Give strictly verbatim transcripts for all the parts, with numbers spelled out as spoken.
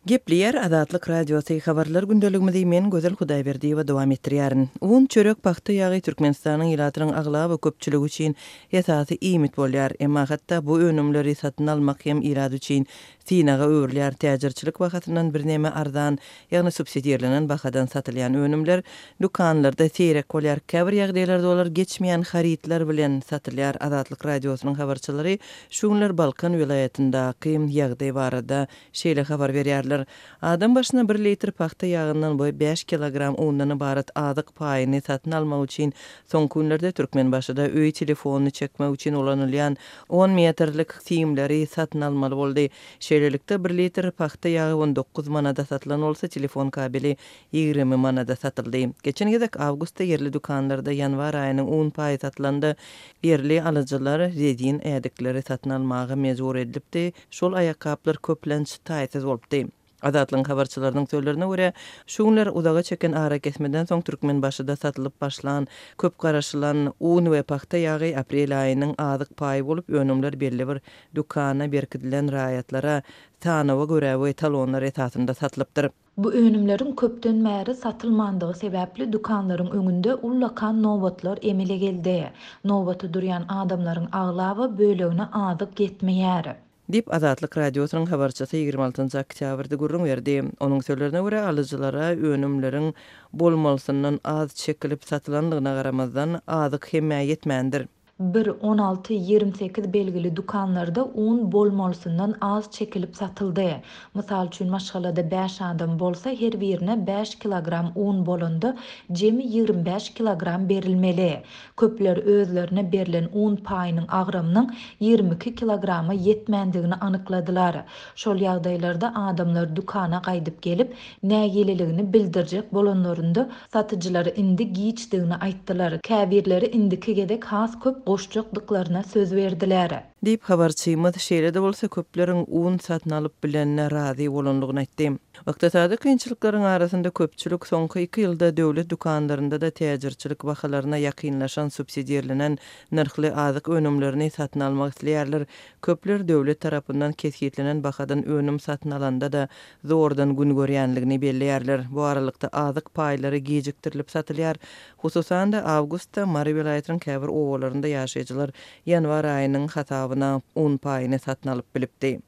Gepleýär Azatlyk Radiosy habarlar gündeligimizi men Gözel Hudaýberdiýewa dowam etdirýärin. Un, çörek, pagta ýagy Türkmenistanyň ilatynyň aglaba köpçüligi üçin esasy iýmit bolýar. Emma hatda bu önümleri satyn almak hem ilat üçin synaga öwrülýär. Täjirçilik bahasyndan birneme arzan, ýagny subsidirlenen bahadan satylýan önümler dükanlarda seýrek bolýar. Käbir ýagdaýlarda olar geçmeýän harytlar bilen satylýar. Azatlyk Radiosynyň habarçylary şu günler Balkan welaýatyndaky ýagdaý barada şeýle habar berýärler. Adam başyna bir litr pagta ýagyndan we bäş kilogram undan ybarat azyk paýyny satyn almak üçin soňky günlerde Türkmenbaşyda öý telefonyny çekmek üçin ulanylýan on metrlik simleri satyn almaly boldy. Şeýlelikde, bir litr pagta ýagy on dokuz manada satylan bolsa, telefon kabeli ýigrimi manada satyldy. Geçen gezek awgustda ýerli dükanlarda ýanwar aýynyň un paýy satylanda ýerli alyjylar rezin ädikleri satyn almaga mejbur edilipdi. Şol aýakgaplar köplenç taýsyz bolupdy. Azatlygyň habarçylarynyň sözlerine görä, şu günler uzaga çeken arakesmeden soň Türkmenbaşyda satylyp başlan köp garaşylan un we pagta ýagy aprel aýynyň azyk paýy bolup, önümler belli bir dükana berkidilen raýatlara sanawa görä we talonlar esasynda satylypdyr. Bu önümleriň köpden bäri satylmandygy sebäpli dükanlaryň öňünde ullakan nobatlar emele geldi. Nobata durýan adamlaryň aglaba bölegine azyk ýetmeýär. Diýip, Azatlyk Radiosynyň habarçysy ýigrimi altynjy oktýabrda gürrüň berdi. Onuň sözlerine görä, alyjylara önümleriň bolmalysyndan az çekilip satylandygyna garamazdan, azyk hemmä ýetmändir. Bir, on alty, ýigrimi sekiz belgili dükanlarda un bolmalysyndan az çekilip satyldy. Mysal üçin, maşgalada bäş adam bolsa, her birine bäş kilogram un bolanda, jemi ýigrimi bäş kilogram berilmeli. Köpler özlerine berlen un paýynyň agramynyň ýigrimi iki kilograma ýetmändigini anykladylar. Şol ýagdaýlarda adamlar dükana gaýdyp gelip, nägileligini bildirjek bolanlarynda satyjylar indi giçdigini aýtdylar. Käbirleri indiki gezek has köp goşjakdyklaryna söz berdiler. Diýip, habarçymyz şeýle-de bolsa köpleriň un satyn alyp bilenine razy bolandygyny aýtdy. Ykdysady kynçylyklaryň arasynda köpçülik soňky iki ýylda döwlet dükanlarynda-da täjirçilik bahalaryna ýakynlaşan subsidirlenen nyrhly azyk önümlerini satyn almak isleýärler. Köpler döwlet tarapyndan kesgitlenen bahadan önüm satyn alanda-da zordan gün görýänligini belleýärler. Bu aralykda azyk paýlary gijikdirilip satylýar. Hususan-da awgustda Mary welaýatynyň käbir obalarynda ýaşaýjylar ýanwar aýynyň hasabyna un paýyny satyn alyp bilipdi.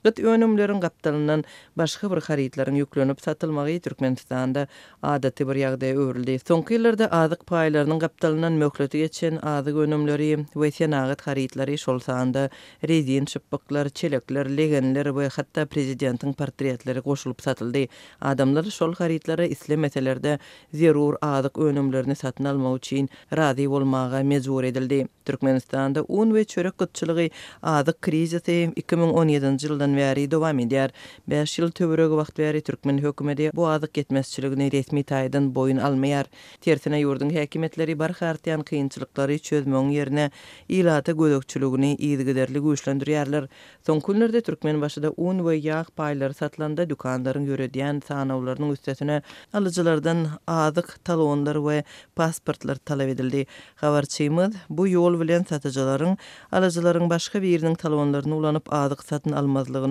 Gyt önümleriň gapdalyndan başga bir harytlaryň ýüklenip satylmagy Türkmenistanda adaty bir ýagdaýa öwrüldi. Soňky ýyllarda azyk paýlarynyň gapdalyndan möhleti geçen azyk önümleri we senagat harytlary, şol sanda rezin şypbyklar, çelekler, legenler we hatda prezidentiň portretleri goşulyp satyldy. Adamlar şol harytlary islemeseler-de zerur azyk önümlerini satyn almak üçin razy bolmaga mejbur edildi. Türkmenistanda un we çörek gytçylygy azyk krizisi iki müň on ýedinji ýyldan bäri dowam edýär. Bäş ýyl töweregi wagt bäri türkmen hökümeti bu azyk ýetmezçiligini resmi taýdan boýun almaýar. Tersine ýurduň häkimiýetleri barha artýan kynçylyklary çözmegiň ýerine ilata gözegçiligini yzygiderli güýçlendirýärler. Soňky günlerde Türkmenbaşyda un we ýag paýlary satylanda dükanlaryň ýöredýän sanawlarynyň üstesine alyjylardan azyk talonlar we pasportlar talap edildi. Habarçymyz bu ýol bilen satyjylaryň alyjylaryň başga biriniň talonlaryny ulanyp azyk satyn almazlygynyň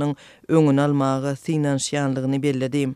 öňüni almaga synanyşýanlygyny belledi.